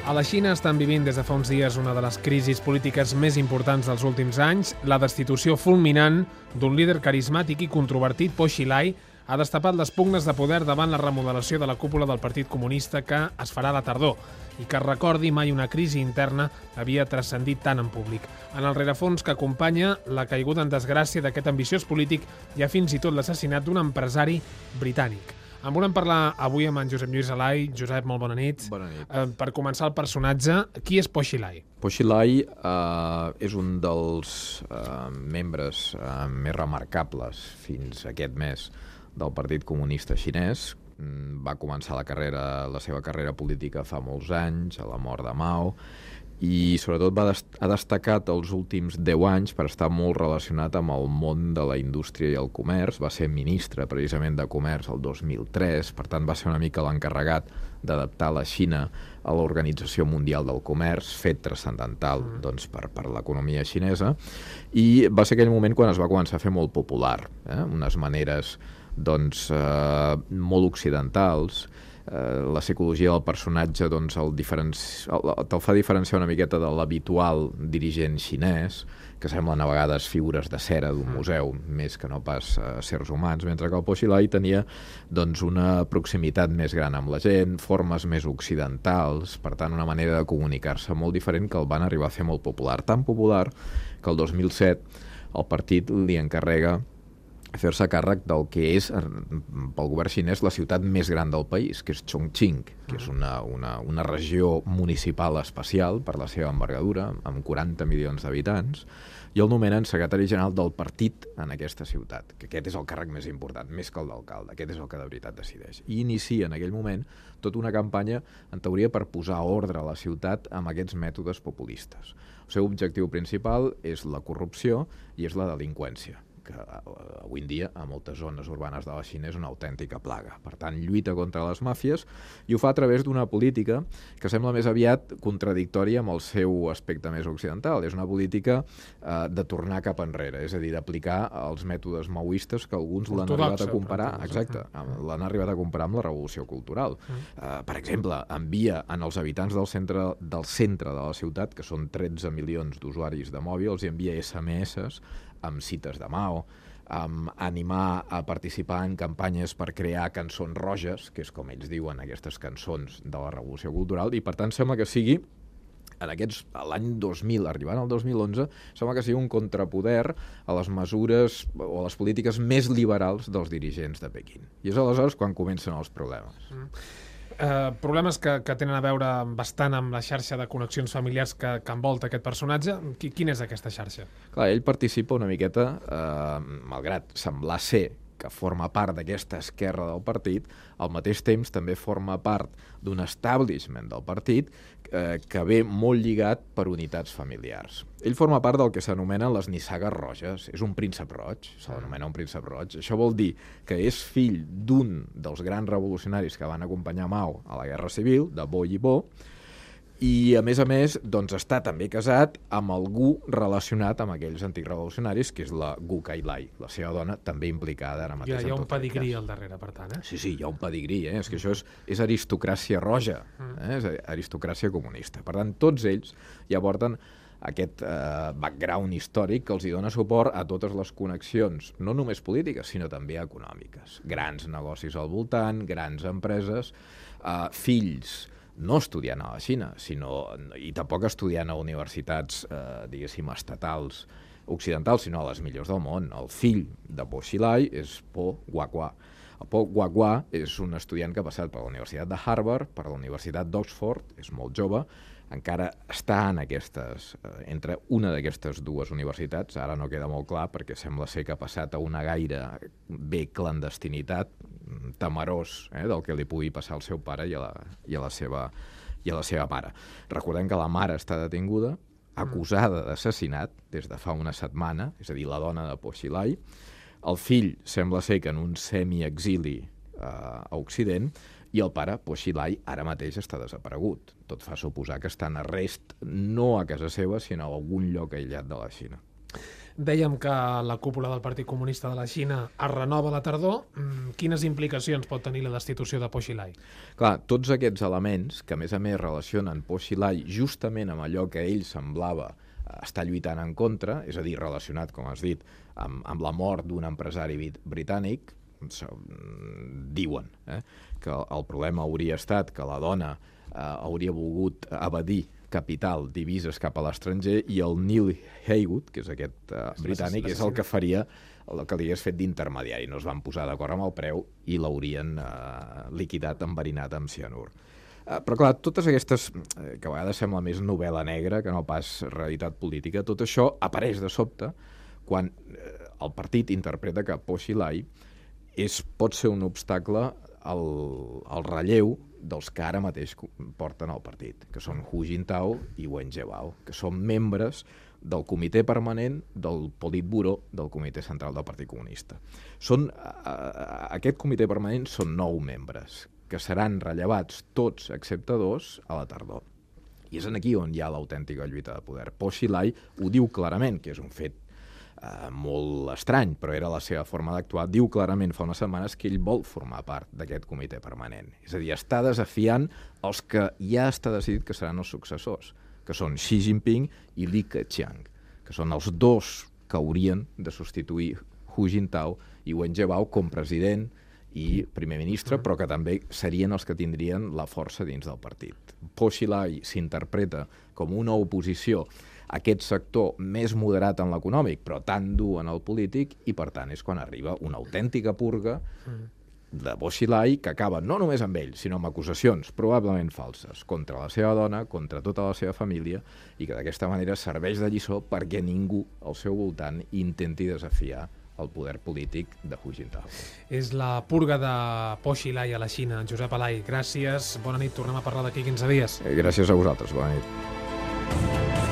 A la Xina estan vivint des de fa uns dies una de les crisis polítiques més importants dels últims anys. La destitució fulminant d'un líder carismàtic i controvertit, Po Xilai, ha destapat les pugnes de poder davant la remodelació de la cúpula del Partit Comunista que es farà a la tardor i que, recordi, mai una crisi interna havia transcendit tant en públic. En el rerefons que acompanya la caiguda en desgràcia d'aquest ambiciós polític hi ha fins i tot l'assassinat d'un empresari britànic. En volem parlar avui amb en Josep Lluís Alai. Josep, molt bona nit. Bona nit. Per començar el personatge, qui és Po Xilai? Po Xilai és un dels membres més remarcables fins aquest mes del Partit Comunista Xinès. Va començar la seva carrera política fa molts anys, a la mort de Mao, i sobretot ha destacat els últims 10 anys per estar molt relacionat amb el món de la indústria i el comerç. Va ser ministre precisament de Comerç el 2003, per tant va ser una mica l'encarregat d'adaptar la Xina a l'Organització Mundial del Comerç, fet transcendental doncs, per l'economia xinesa, i va ser aquell moment quan es va començar a fer molt popular, unes maneres doncs, molt occidentals. La psicologia del personatge doncs, te'l fa diferenciar una miqueta de l'habitual dirigent xinès, que semblen a vegades figures de cera d'un museu, més que no pas sers humans, mentre que el Po Xilai tenia doncs, una proximitat més gran amb la gent, formes més occidentals, per tant una manera de comunicar-se molt diferent que el van arribar a fer molt popular. Tan popular que el 2007 el partit li encarrega fer-se càrrec del que és, pel govern xinès, la ciutat més gran del país, que és Chongqing, que és una regió municipal especial per la seva envergadura, amb 40 milions d'habitants, i el nomenen secretari general del partit en aquesta ciutat, que aquest és el càrrec més important, més que el d'alcalde, aquest és el que de veritat decideix. I inicia en aquell moment tota una campanya, en teoria, per posar ordre a la ciutat amb aquests mètodes populistes. El seu objectiu principal és la corrupció i és la delinqüència, que avui en dia a moltes zones urbanes de la Xina és una autèntica plaga. Per tant, lluita contra les màfies i ho fa a través d'una política que sembla més aviat contradictòria amb el seu aspecte més occidental. És una política de tornar cap enrere, és a dir, d'aplicar els mètodes maoistes que alguns l'han arribat a comparar, l'han arribat a comparar amb la revolució cultural. Per exemple, envia en els habitants del centre de la ciutat, que són 13 milions d'usuaris de mòbil, els envia SMS amb cites de Mao, amb animar a participar en campanyes per crear cançons roges, que és com ells diuen aquestes cançons de la revolució cultural, i per tant sembla que sigui, l'any 2000, arribant al 2011, sembla que sigui un contrapoder a les mesures o a les polítiques més liberals dels dirigents de Pequín. I és aleshores quan comencen els problemes. Problemes que tenen a veure bastant amb la xarxa de connexions familiars que envolta aquest personatge. Quina és aquesta xarxa? Clar, ell participa una miqueta, malgrat semblar ser que forma part d'aquesta esquerra del partit, al mateix temps també forma part d'un establishment del partit que ve molt lligat per unitats familiars. Ell forma part del que s'anomenen les nissagues roges. És un príncep roig, se l'anomena un príncep roig. Això vol dir que és fill d'un dels grans revolucionaris que van acompanyar Mao a la Guerra Civil, de Bo Yibo, i a més, doncs, està també casat amb algú relacionat amb aquells antics revolucionaris, que és la Gu Kailai, la seva dona, també implicada ara mateix. Hi ha un pedigrí al darrere, per tant, Sí, hi ha un pedigrí, és que això és aristocràcia roja, és aristocràcia comunista. Per tant, tots ells ja porten aquest background històric que els hi dona suport a totes les connexions, no només polítiques, sinó també econòmiques. Grans negocis al voltant, grans empreses, fills no estudiant a la Xina, i tampoc estudiant a universitats, diguéssim, estatals occidentals, sinó a les millors del món. El fill de Po Xilai és Po Guagua. El Po Guagua és un estudiant que ha passat per la Universitat de Harvard, per la Universitat d'Oxford, és molt jove, encara està entre una d'aquestes dues universitats, ara no queda molt clar perquè sembla ser que ha passat a una gaire bé clandestinitat, temerós del que li pugui passar al seu pare i a la seva mare. Recordem que la mare està detinguda, acusada d'assassinat des de fa una setmana, és a dir, la dona de Po Xilai. El fill sembla ser que en un semi-exili a Occident, i el pare, Po Xilai, ara mateix està desaparegut. Tot fa suposar que està en arrest no a casa seva, sinó a algun lloc aïllat de la Xina. Dèiem que la cúpula del Partit Comunista de la Xina es renova a la tardor. Quines implicacions pot tenir la destitució de Po Xilai? Clar, tots aquests elements, que a més relacionen Po Xilai justament amb allò que ell semblava estar lluitant en contra, és a dir, relacionat, com has dit, amb la mort d'un empresari britànic, diuen que el problema hauria estat que la dona hauria volgut evadir capital, divises cap a l'estranger, i el Neil Haywood, que és aquest britànic, és el que faria el que li hagués fet d'intermediari. No es van posar d'acord amb el preu i l'haurien liquidat, enverinat amb cianur. Però clar, totes aquestes, que a vegades sembla més novel·la negra que no pas realitat política, tot això apareix de sobte quan el partit interpreta que Po Xilai pot ser un obstacle al relleu dels que ara mateix porten el partit, que són Hu Jintao i Wen Jiabao, que són membres del comitè permanent del Politburó del Comitè Central del Partit Comunista. Aquest comitè permanent són 9 membres, que seran rellevats tots, excepte 2, a la tardor. I és aquí on hi ha l'autèntica lluita de poder. Po Xilai ho diu clarament, que és un fet molt estrany, però era la seva forma d'actuar. Diu clarament fa unes setmanes que ell vol formar part d'aquest comitè permanent. És a dir, està desafiant els que ja està decidit que seran els successors, que són Xi Jinping i Li Keqiang, que són els 2 que haurien de substituir Hu Jintao i Wen Jiabao com president i primer ministre, però que també serien els que tindrien la força dins del partit. Po Xilai s'interpreta com una oposició a aquest sector més moderat en l'econòmic, però tan dur en el polític, i per tant és quan arriba una autèntica purga de Po Xilai, que acaba no només amb ell, sinó amb acusacions probablement falses contra la seva dona, contra tota la seva família, i que d'aquesta manera serveix de lliçó perquè ningú al seu voltant intenti desafiar el poder polític de Hu Jintao. És la purga de Po Xilai a la Xina. Josep Alay, gràcies, bona nit, tornem a parlar d'aquí 15 dies. Gràcies a vosaltres, bona nit.